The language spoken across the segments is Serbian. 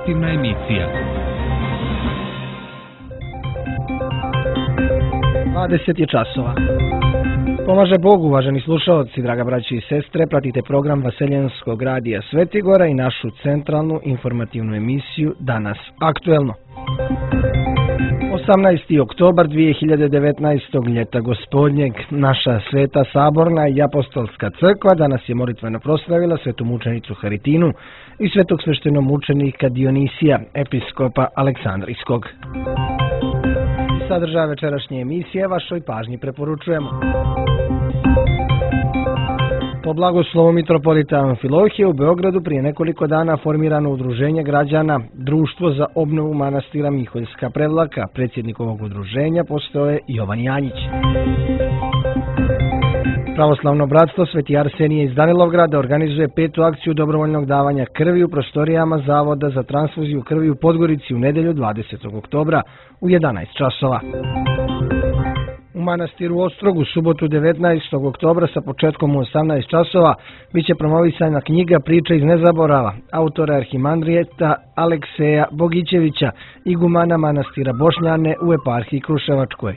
Informativna emisija. 20 časova. Pomaže Bog, uvaženi slušalci, draga braći i sestre, pratite program Vaseljenskog radija Svetigora i našu centralnu informativnu emisiju Danas aktuelno. 18. oktobar 2019. ljeta gospodnjeg, naša Sveta Saborna i Apostolska crkva danas je molitveno proslavila svetu mučenicu Haritinu i svetog sveštenomučenika Dionisija, episkopa Aleksandrijskog. Sadržaj večerašnje emisije vašoj pažnji preporučujemo. Po blagoslovu mitropolita Amfilohije u Beogradu prije nekoliko dana formirano udruženje građana Društvo za obnovu manastira Miholjska Prevlaka. Predsjednik ovog udruženja postao je Jovan Janjić. Pravoslavno bratstvo Sveti Arsenije iz Danilovgrada organizuje 5. akciju dobrovoljnog davanja krvi u prostorijama Zavoda za transfuziju krvi u Podgorici u nedjelju 20. oktobra u 11 časova. U manastiru Ostrog u subotu 19. oktobra sa početkom u 18 časova biće promovisana knjiga Priče iz nezaborava autora arhimandrijeta Alekseja Bogićevića, igumana manastira Bošnjane u eparhiji Kruševačkoj.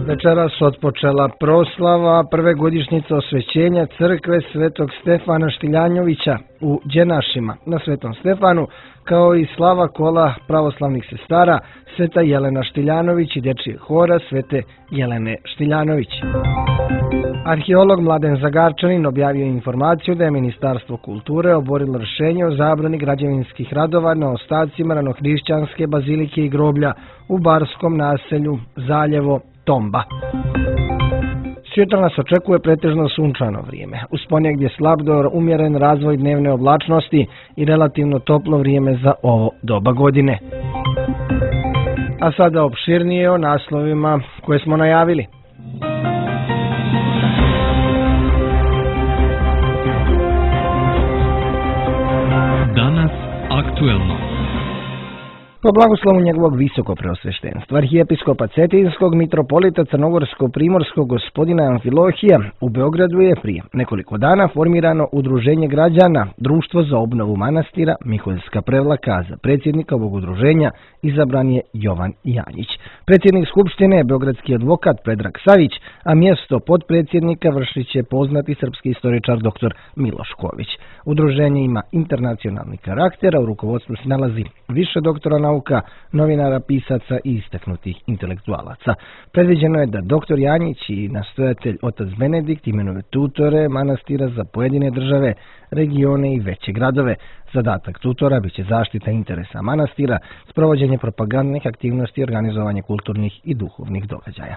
Večeras otpočela proslava prve godišnjice osvećenja crkve Svetog Stefana Štiljanjovića u Đenašima na Svetom Stefanu, kao i slava kola pravoslavnih sestara Sveta Jelena Štiljanović i dečije hora Svete Jelene Štiljanović. Arheolog Mladen Zagarčanin objavio informaciju da je Ministarstvo kulture oborilo rješenje o zabrani građevinskih radova na ostacima ranohrišćanske bazilike i groblja u barskom naselju Zaljevo Tomba. Sutra nas očekuje pretežno sunčano vrijeme. Uz ponegdje slab do umjeren razvoj dnevne oblačnosti i relativno toplo vrijeme za ovo doba godine. A sada opširnije o naslovima koje smo najavili. Danas aktuelno. Po blagoslovu njegovog visoko preosveštenstva, arhijepiskopa Cetinskog, mitropolita Crnogorsko-primorskog gospodina Amfilohija, u Beogradu je prije nekoliko dana formirano udruženje građana Društvo za obnovu manastira Miholjska Prevlaka. Za predsjednika ovog udruženja izabran je Jovan Janjić. Predsjednik skupštine je beogradski advokat Predrag Savić, a mjesto potpredsjednika vršit će poznati srpski istoričar dr. Miloš Ković. Udruženje ima internacionalni karakter, a u rukovodstvu se nalazi više doktora nauka, novinara, pisaca i istaknutih intelektualaca. Predviđeno je da dr. Janjić i nastojatelj otac Benedikt imenuju tutore manastira za pojedine države, regione i veće gradove. Zadatak tutora biće zaštita interesa manastira, sprovođenje propagandnih aktivnosti i organizovanje kulturnih i duhovnih događaja.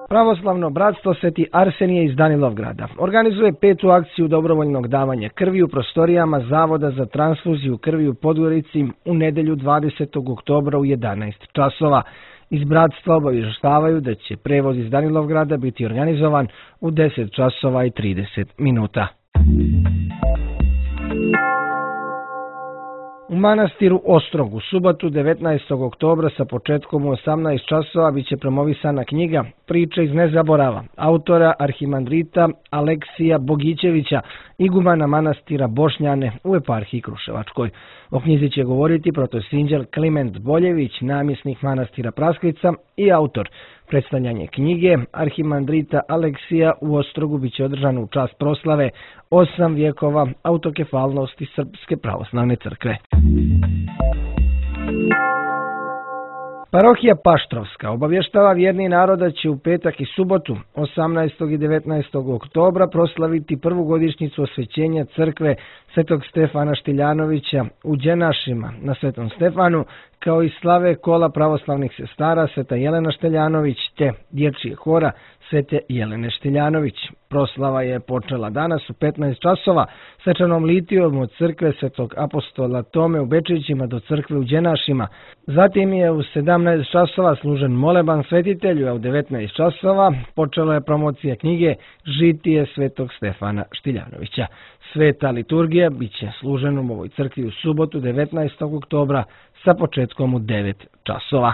Pravoslavno bratstvo Sveti Arsenije iz Danilovgrada organizuje 5. akciju dobrovoljnog davanja krvi u prostorijama Zavoda za transfuziju krvi u Podgorici u nedjelju 20. oktobra u 11 časova. Iz bratstva obavještavaju da će prevoz iz Danilovgrada biti organizovan u 10 časova i 30 minuta. U manastiru Ostrog u subotu 19. oktobra sa početkom u 18 časova biće promovisana knjiga Priče iz nezaborava autora arhimandrita Aleksija Bogićevića, igumana manastira Bošnjane u eparhiji Kruševačkoj. O knjizi će govoriti protosinđel Kliment Boljević, namjesnik manastira Praskvica i autor. Predstavljanje knjige arhimandrita Aleksija u Ostrogu biće održano u čast proslave 8 vjekova autokefalnosti Srpske pravoslavne crkve. Parohija Paštrovska obavještava vjerni narod da će u petak i subotu 18. i 19. oktobra proslaviti prvu godišnjicu osvećenja crkve Svetog Stefana Štiljanovića u Đenašima na Svetom Stefanu, kao i slave kola pravoslavnih sestara Sveta Jelena Štiljanović te dječjeg hora Svete Jelene Štiljanović. Proslava je počela danas u 15 časova svečanom litijom od crkve Svetog apostola Tome u Bečićima do crkve u Đenašima. Zatim je u 17 časova služen moleban svetitelju, a u 19 časova počela je promocija knjige Žitije Svetog Stefana Štiljanovića. Sveta liturgija biće služena u ovoj crkvi u subotu 19. oktobra sa početkom u 9 časova.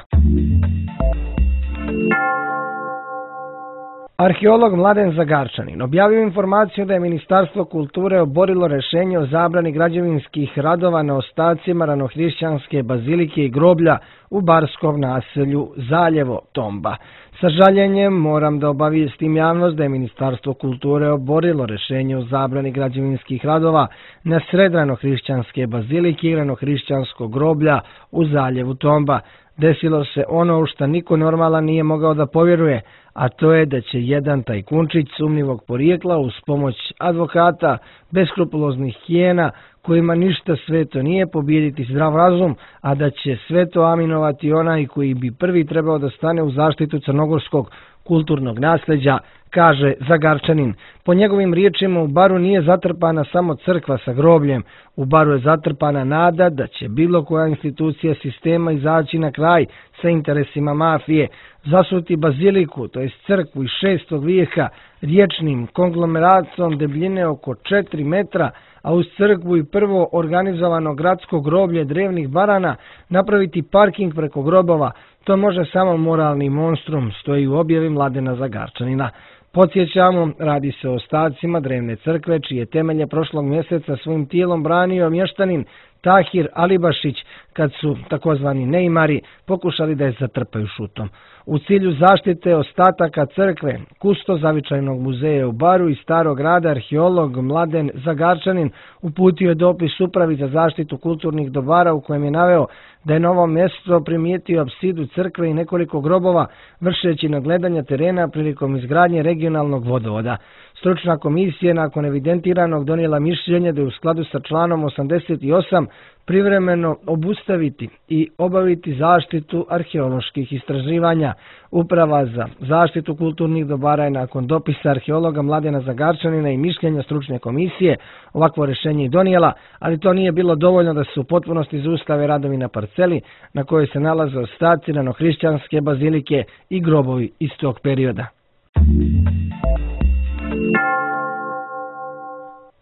Arheolog Mladen Zagarčanin objavio informaciju da je Ministarstvo kulture oborilo rješenje o zabrani građevinskih radova na ostacima ranohrišćanske bazilike i groblja u barskom naselju Zaljevo Tomba. Sa žaljenjem moram da obavijestim javnost da je Ministarstvo kulture oborilo rješenje o zabrani građevinskih radova na sred ranohrišćanske bazilike i ranohrišćanskog groblja u Zaljevu Tomba. Desilo se ono u što niko normalan nije mogao da povjeruje, a to je da će jedan tajkunčić sumnjivog porijekla uz pomoć advokata, beskrupuloznih hijena, kojima ništa sveto nije, pobijediti zdrav razum, a da će sve to aminovati onaj koji bi prvi trebao da stane u zaštitu crnogorskog kulturnog nasljeđa, kaže Zagarčanin. Po njegovim riječima u Baru nije zatrpana samo crkva sa grobljem, u Baru je zatrpana nada da će bilo koja institucija sistema izaći na kraj sa interesima mafije, zasuti baziliku, to jest crkvu iz 6. vijeka, riječnim konglomeratom debljine oko 4 metra, a uz crkvu i prvo organizovano gradsko groblje drevnih barana napraviti parking preko grobova. To može samo moralni monstrum, stoji u objavi Mladena Zagarčanina. Podsjećamo, radi se o ostacima drevne crkve, čije temelje prošlog mjeseca svojim tijelom branio mještanin Tahir Alibašić, kad su takozvani neimari pokušali da je zatrpaju šutom. U cilju zaštite ostataka crkve, kusto Zavičajnog muzeja u Baru i Starog grada, arheolog Mladen Zagarčanin uputio je dopis Upravi za zaštitu kulturnih dobara u kojem je naveo da je na ovom mjestu primijetio apsidu crkve i nekoliko grobova, vršeći nadgledanja terena prilikom izgradnje regionalnog vodovoda. Stručna komisija nakon evidentiranog donijela mišljenje da je u skladu sa članom 88 privremeno obustaviti i obaviti zaštitu arheoloških istraživanja. Uprava za zaštitu kulturnih dobara je nakon dopisa arheologa Mladena Zagarčanina i mišljenja stručne komisije ovakvo rješenje i donijela, ali to nije bilo dovoljno da se u potpunosti zaustave radovi na parceli na kojoj se nalaze ostaci ranohrišćanske bazilike i grobovi iz tog perioda.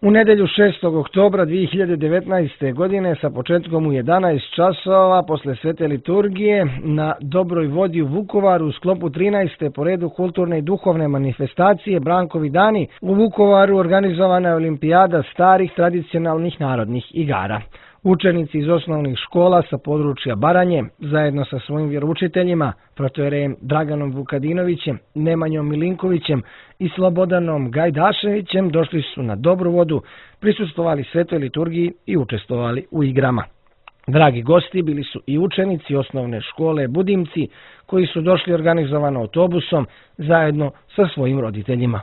U nedjelju 6. oktobra 2019. godine sa početkom u 11 časova posle svete liturgije na Dobroj vodi u Vukovaru u sklopu 13. po redu kulturne i duhovne manifestacije Brankovi dani u Vukovaru organizovana je olimpijada starih tradicionalnih narodnih igara. Učenici iz osnovnih škola sa područja Baranje, zajedno sa svojim vjeroučiteljima, protojerejem Draganom Vukadinovićem, Nemanjom Milinkovićem i Slobodanom Gajdaševićem, došli su na Dobru vodu, prisustvovali svetoj liturgiji i učestvovali u igrama. Dragi gosti bili su i učenici osnovne škole Budimci, koji su došli organizovano autobusom zajedno sa svojim roditeljima.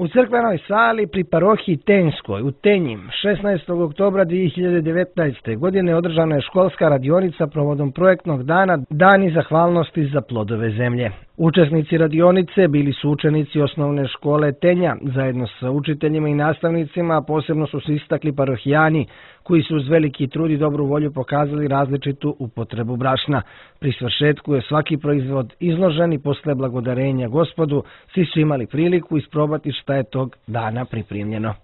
U crkvenoj sali pri parohiji Tenjskoj u Tenjim 16. oktobra 2019. godine održana je školska radionica provodom projektnog dana Dani zahvalnosti za plodove zemlje. Učesnici radionice bili su učenici osnovne škole Tenja, zajedno sa učiteljima i nastavnicima, a posebno su se istakli parohijani, koji su uz veliki trud i dobru volju pokazali različitu upotrebu brašna. Pri svršetku je svaki proizvod izložen i posle blagodarenja Gospodu svi su imali priliku isprobati šta je tog dana pripremljeno.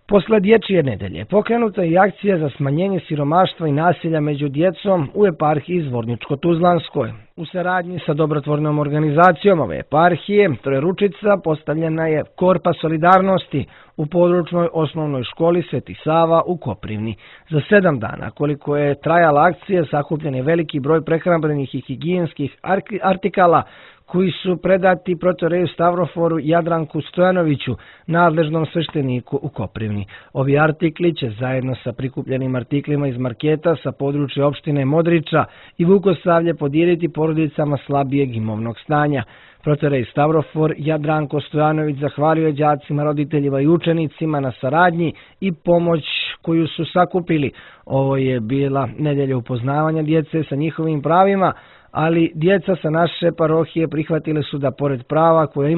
Posle dječje nedelje pokrenuta je akcija za smanjenje siromaštva i nasilja među djecom u eparhiji Zvorničko-Tuzlanskoj. U saradnji sa dobrotvornom organizacijom ove eparhije Trojeručica postavljena je korpa solidarnosti u područnoj osnovnoj školi Sveti Sava u Koprivni. Za 7 dana koliko je trajala akcija sakupljen je veliki broj prehrambenih i higijenskih artikala koji su predati protoreju Stavroforu Jadranku Stojanoviću, nadležnom svešteniku u Koprivni. Ovi artikli će zajedno sa prikupljenim artiklima iz marketa sa područja opštine Modriča i Vukosavlje podijeliti porodicama slabijeg imovnog stanja. Protorej Stavrofor Jadranko Stojanović zahvalio je đacima, roditeljima i učenicima na saradnji i pomoć koju su sakupili. Ovo je bila nedelja upoznavanja djece sa njihovim pravima, ali djeca sa naše parohije prihvatile su da pored prava koje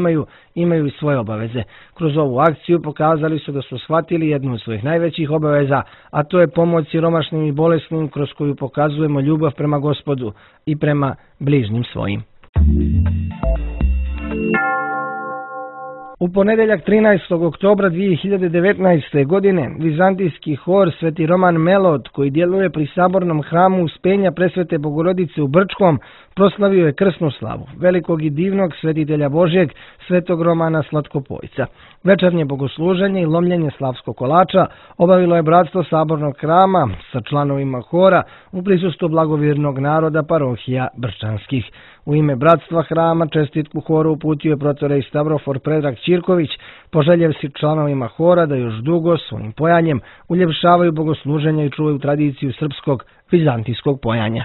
imaju i svoje obaveze. Kroz ovu akciju pokazali su da su shvatili jednu od svojih najvećih obaveza, a to je pomoć siromašnim i bolesnim, kroz koju pokazujemo ljubav prema Gospodu i prema bližnjim svojim. U ponedeljak 13. oktobra 2019. godine vizantijski hor Sveti Roman Melod, koji djeluje pri sabornom hramu Uspenja Presvete Bogorodice u Brčkom, proslavio je krsnu slavu velikog i divnog svetitelja Božjeg Svetog Romana Slatkopojca. Večernje bogosluženje i lomljenje slavskog kolača obavilo je bratstvo sabornog hrama sa članovima hora u prisustvu blagovjernog naroda parohija Brčanskih. U ime bratstva hrama čestitku horu uputio je protorej Stavrofor Predrag Ćirković, poželjevši članovima hora da još dugo svojim pojanjem uljepšavaju bogosluženja i čuvaju tradiciju srpskog vizantijskog pojanja.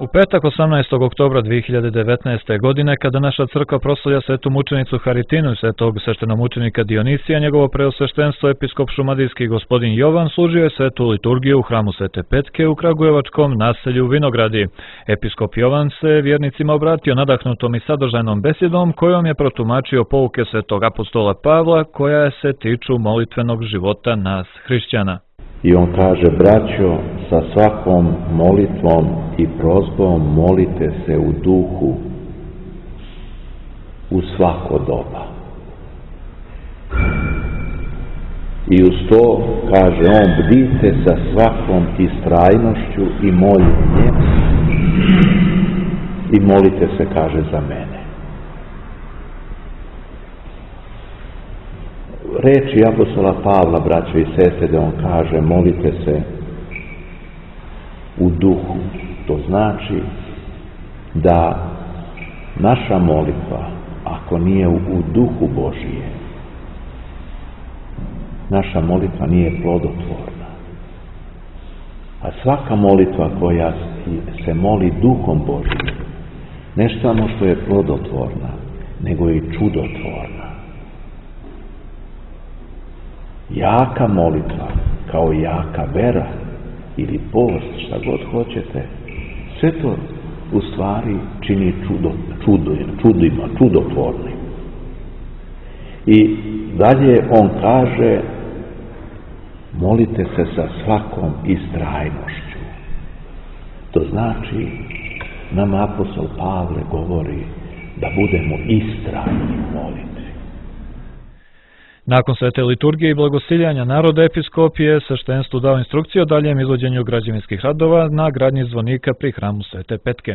U petak 18. oktobra 2019. godine, kada naša crkva proslavlja svetu mučenicu Haritinu i svetog sveštenomučenika Dionisija, njegovo preosveštenstvo episkop šumadijski gospodin Jovan služio je svetu liturgiju u hramu Svete Petke u kragujevačkom naselju Vinogradi. Episkop Jovan se vjernicima obratio nadahnutom i sadržajnom besjedom kojom je protumačio pouke svetog apostola Pavla koja se tiču molitvenog života nas hrišćana. I on kaže, braćo, sa svakom molitvom i prozbom molite se u duhu u svako doba. I uz to, kaže on, bdite sa svakom istrajnošću i moljenjem i molite se, kaže, za mene. Reči apostola Pavla, braćo i sestre, da on kaže molite se u duhu. To znači da naša molitva, ako nije u duhu Božije, naša molitva nije plodotvorna. A svaka molitva koja se moli duhom Božijim, ne samo što je plodotvorna, nego i čudotvorna. Jaka molitva, kao jaka vera ili post, šta god hoćete, sve to u stvari čini čudotvornim. I dalje on kaže, molite se sa svakom istrajnošću. To znači, nam apostol Pavle govori da budemo istrajni moliti. Nakon svete liturgije i blagosiljanja naroda, episkop je sveštenstvu dao instrukcije o daljem izvođenju građevinskih radova na gradnji zvonika pri hramu Svete Petke.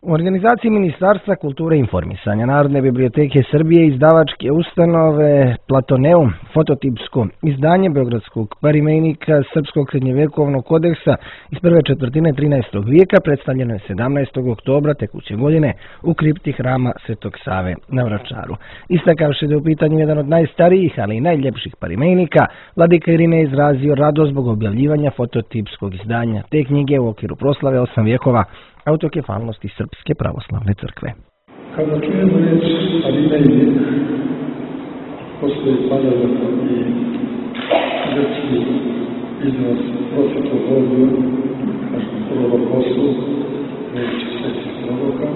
U organizaciji Ministarstva kulture i informisanja, Narodne biblioteke Srbije, izdavačke ustanove Platoneum, fototipsko izdanje Beogradskog parimejnika Srpskog srednjevekovnog kodeksa iz prve četvrtine 13. vijeka predstavljeno je 17. oktobra tekuće godine u kripti hrama Svetog Save na Vračaru. Istakavši da je u pitanju jedan od najstarijih, ali i najljepših parimejnika, vladika Irine je izrazio radost zbog objavljivanja fototipskog izdanja te knjige u okviru proslave 8 vjekova autokefalnosti Srpske pravoslavne crkve. Kada čujemo reč parimejnik, postoji paralelno i grčki izraz profetologiju, kažemo prorokosu, reči svetih proroka.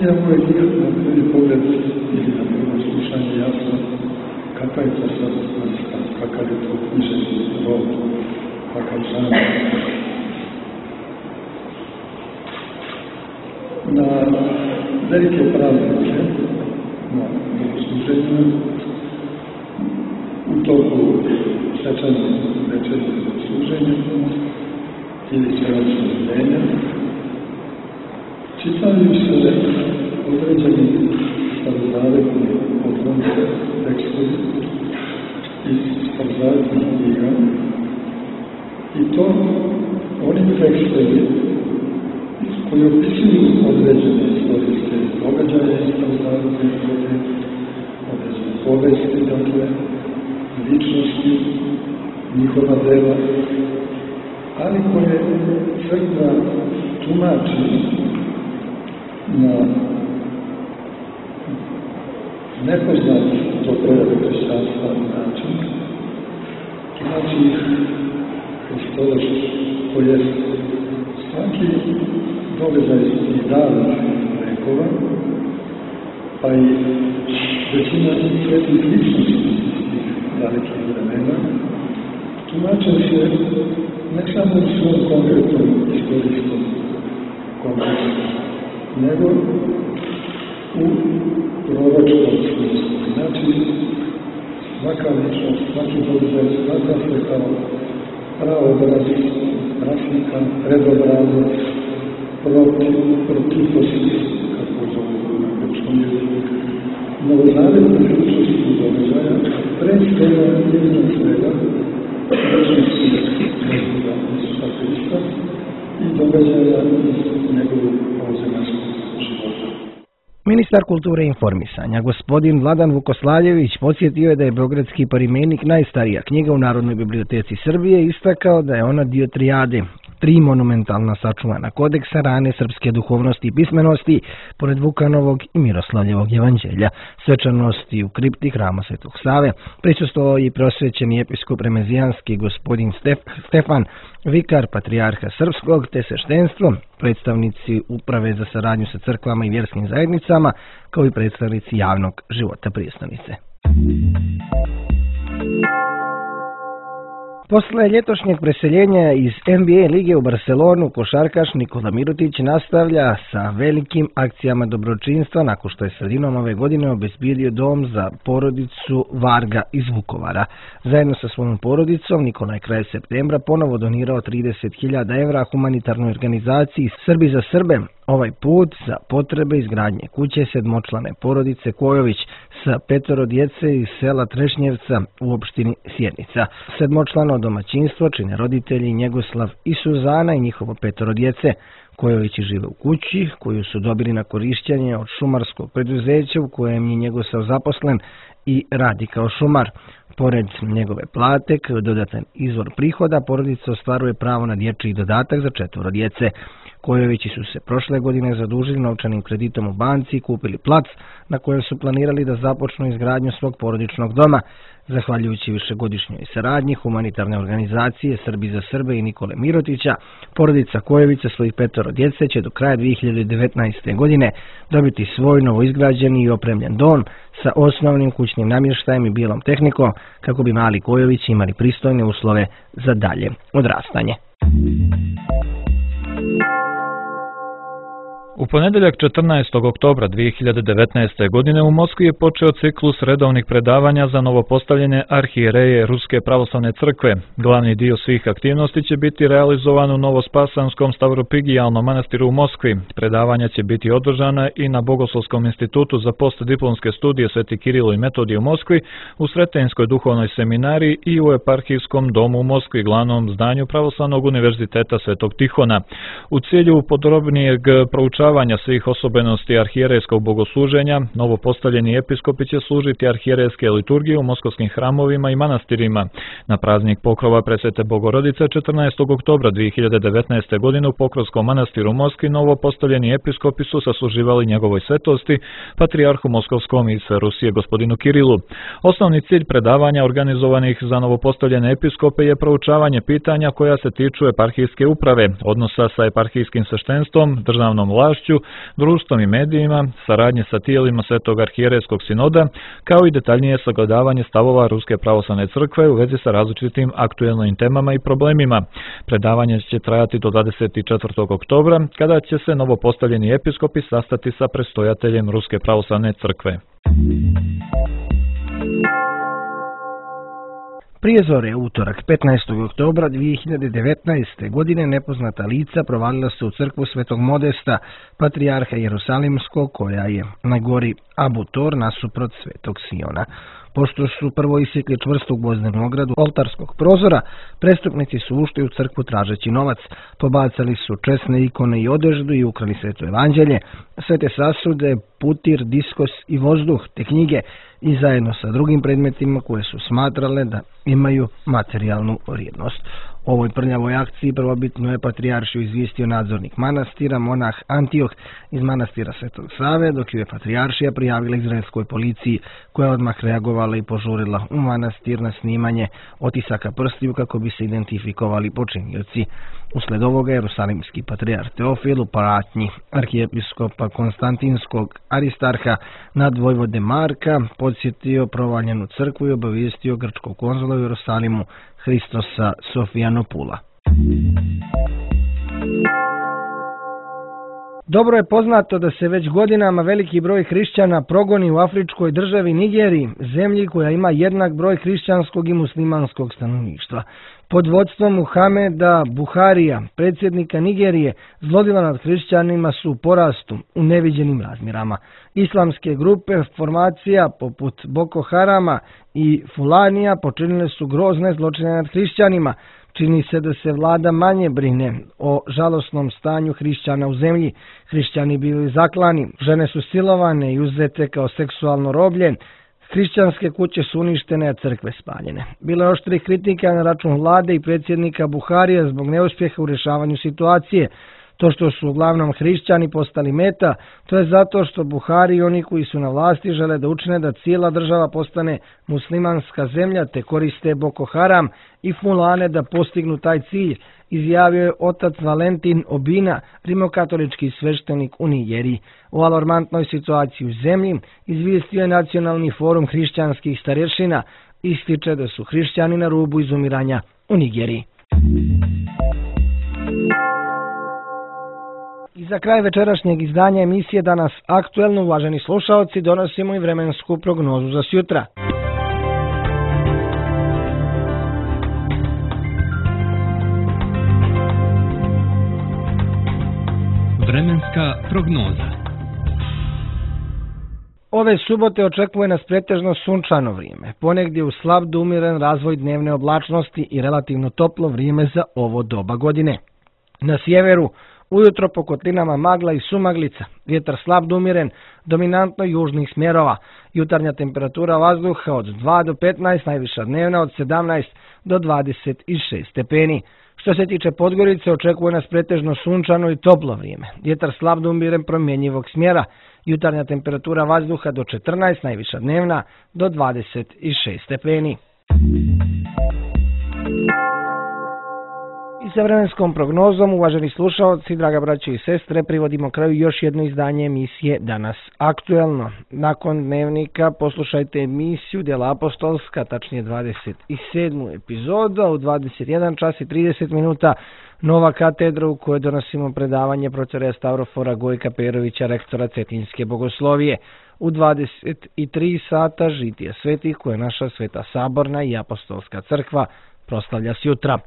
Iako je na prvi pogled ili na prvo slušanje jasno kakva je to sadostranska, kakav je to književni rod, kakav žanr. Na velike praznike, na bogosluženju, u toku svečanog večernjeg bogosluženja ili svečanog bdenja, čitaju se određeni starozavetni odlomci, tekstovi iz starozavetnih knjiga, i to oni tekstovi koji opisuju određene istorijske događaje iz starozavetne knjige, određene povesti, dakle, ličnosti, njihova dela, ali koje crkva tumači na nepoznat do prejave hrišćanstva način, tumači ih hristovački, to jest svaki događaj iz davnih vekova, pa i većina svetih ličnosti iz tih dalekih vremena, tumače se ne samo u svom konkretnom istorijskom kontekstu, nego u proročkom smislu. Znači, svaka ličnost, svaki događaj smatra se kao praobraz, rasnika, predobrazac, protiposis, kako zovu na grčkom jeziku, novozavetnih ličnosti događaja, predstavlja iznad svega ličnosti Gospoda Isusa Hrista i događaja iz njegovog ovzemačkog života. Ministar kulture i informisanja, gospodin Vladan Vukoslavljević, podsjetio je da je Beogradski parimenik najstarija knjiga u Narodnoj biblioteci Srbije, istakao da je ona dio trijade, 3 monumentalna sačuvana kodeksa rane srpske duhovnosti i pismenosti, pored Vukanovog i Miroslavljevog evanđelja, svečanosti u kripti Hrama Svetog Save, prisustvovao i prosvećeni episkop remezijanski gospodin Stefan, vikar patrijarha srpskog, te sveštenstvo, predstavnici uprave za saradnju sa crkvama i vjerskim zajednicama, kao i predstavnici javnog života prijestolnice. Posle ljetošnjeg preseljenja iz NBA lige u Barcelonu, košarkaš Nikola Mirotić nastavlja sa velikim akcijama dobročinstva nakon što je sredinom ove godine obezbijedio dom za porodicu Varga iz Vukovara. Zajedno sa svojom porodicom Nikola je kraj septembra ponovo donirao 30.000 evra humanitarnoj organizaciji Srbi za Srbe, ovaj put za potrebe izgradnje kuće sedmočlane porodice Kojović sa 5 djece iz sela Trešnjevca u opštini Sjenica. Sedmočlano domaćinstvo čine roditelji Njegoslav i Suzana i njihovo 5 djece. Kojovići žive u kući koju su dobili na korišćenje od šumarskog preduzeća u kojem je Njegoslav zaposlen i radi kao šumar. Pored njegove plate, kao dodatan izvor prihoda, porodica ostvaruje pravo na dječji dodatak za 4 djece. Kojovići su se prošle godine zadužili novčanim kreditom u banci i kupili plac na kojem su planirali da započnu izgradnju svog porodičnog doma. Zahvaljujući višegodišnjoj saradnji humanitarne organizacije Srbi za Srbe i Nikole Mirotića, porodica Kojovića svojih 5 djece će do kraja 2019. godine dobiti svoj novoizgrađeni i opremljen dom sa osnovnim kućnim namještajem i bijelom tehnikom kako bi mali Kojovići imali pristojne uslove za dalje odrastanje. U ponedjeljak 14. oktobra 2019. godine u Moskvi je počeo ciklus redovnih predavanja za novopostavljene arhijereje Ruske pravoslavne crkve. Glavni dio svih aktivnosti će biti realizovan u Novospasanskom Stavropigijalnom manastiru u Moskvi. Predavanja će biti održana i na Bogoslovskom institutu za postdiplomske studije Sveti Kirilo i Metodije u Moskvi, u Sretenjskoj duhovnoj seminariji i u Eparhijskom domu u Moskvi, glavnom zdanju Pravoslavnog univerziteta Svetog Tihona. U cilju podrobnijeg proučavanja svih osobenosti arhijerejskog bogosluženja, novopostavljeni episkopi će služiti arhijerejske liturgije u moskovskim hramovima i manastirima. Na praznik pokrova Presvete Bogorodice 14. oktobra 2019. godine u Pokrovskom manastiru u Moskvi novopostavljeni episkopi su sasluživali njegovoj svetosti, patrijarhu Moskovskom i sve Rusije gospodinu Kirilu. Osnovni cilj predavanja organizovanih za novopostavljene episkope je proučavanje pitanja koja se tiču eparhijske uprave, odnosa sa eparhijskim sveštenstvom, državnom vlašću, društvom i medijima, saradnje sa tijelima Svetog arhijerejskog sinoda, kao i detaljnije sagledavanje stavova Ruske pravoslavne crkve u vezi sa različitim aktuelnim temama i problemima. Predavanje će trajati do 24. oktobra, kada će se novopostavljeni episkopi sastati sa predstojateljem Ruske pravoslavne crkve. Prije zore, utorak 15. oktobra 2019. godine nepoznata lica provalila se u crkvu Svetog Modesta, patrijarha Jerusalimskog, koja je na gori Abu Tor nasuprot Svetog Siona. Pošto su prvo isjekli čvrstu gvozdenu ogradu oltarskog prozora, prestupnici su ušli u crkvu tražeći novac, pobacali su česne ikone i odeždu i ukrali Sveto evanđelje, svete sasude, putir, diskos i vozduh, te knjige i zajedno sa drugim predmetima koje su smatrale da imaju materijalnu vrijednost. O ovoj prljavoj akciji prvobitno je patrijaršiju izvijestio nadzornik manastira, monah Antioh iz manastira Svetog Save, dok ju je patrijaršija prijavila izraelskoj policiji, koja je odmah reagovala i požurila u manastir na snimanje otisaka prstiju kako bi se identifikovali počinioci. Usled ovoga jerusalimski patrijarh Teofil u pratnji arhijepiskopa Konstantinskog Aristarha nadvojvode Marka podsjetio provaljenu crkvu i obavijestio grčkog konzula u Jerusalimu Hristosa Sofijanopula. Dobro je poznato da se već godinama veliki broj hrišćana progoni u afričkoj državi Nigeriji, zemlji koja ima jednak broj hrišćanskog i muslimanskog stanovništva. Pod vodstvom Muhameda Buharija, predsjednika Nigerije, zlodjela nad hrišćanima su u porastu u neviđenim razmjerama. Islamske grupe formacija poput Boko Harama i Fulanija počinile su grozne zločine nad hrišćanima. Čini se da se vlada manje brine o žalosnom stanju hrišćana u zemlji. Hrišćani bili zaklani, žene su silovane i uzete kao seksualno roblje, hrišćanske kuće su uništene, a crkve spaljene. Bilo je oštrih kritika na račun vlade i predsjednika Buharija zbog neuspjeha u rješavanju situacije. To što su uglavnom hrišćani postali meta, to je zato što Buhari i oni koji su na vlasti žele da učine da cijela država postane muslimanska zemlja te koriste Boko Haram i Fulane da postignu taj cilj, izjavio je otac Valentin Obina, rimokatolički sveštenik u Nigeriji. O alarmantnoj situaciji u zemlji izvijestio je Nacionalni forum hrišćanskih starješina, ističe da su hrišćani na rubu izumiranja u Nigeriji. I za kraj večerašnjeg izdanja emisije Danas aktuelno, uvaženi slušaoci, donosimo i vremensku prognozu za sutra. Vremenska prognoza. Ove subote očekuje nas pretežno sunčano vrijeme, ponegdje u slab do umjeren razvoj dnevne oblačnosti i relativno toplo vrijeme za ovo doba godine. Na sjeveru ujutro po kotlinama magla i sumaglica, vjetar slab do umjeren, dominantno južnih smjerova, jutarnja temperatura vazduha od 2 do 15, najviša dnevna od 17 do 26 stepeni. Što se tiče Podgorice, očekuje nas pretežno sunčano i toplo vrijeme, vjetar slab do umjeren promjenjivog smjera, jutarnja temperatura vazduha do 14, najviša dnevna do 26 stepeni. I sa vremenskom prognozom, uvaženi slušalci, draga braće i sestre, privodimo kraju još jedno izdanje emisije Danas aktuelno. Nakon dnevnika poslušajte emisiju Djela apostolska, tačnije 27. epizoda u 21 čas i 30 minuta, Nova katedra u kojoj donosimo predavanje profesora Stavrofora Gojka Perovića, rektora Cetinske bogoslovije. U 23 sata Žitije svetih koje naša Sveta Saborna i Apostolska crkva proslavlja sjutra.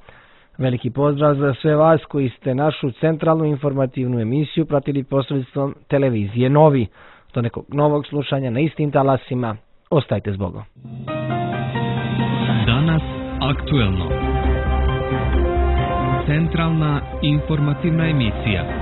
Veliki pozdrav za sve vas koji ste našu centralnu informativnu emisiju pratili posredstvom televizije Novi. Do nekog novog slušanja na istim talasima. Ostajte s Bogom. Danas aktuelno. Centralna informativna emisija.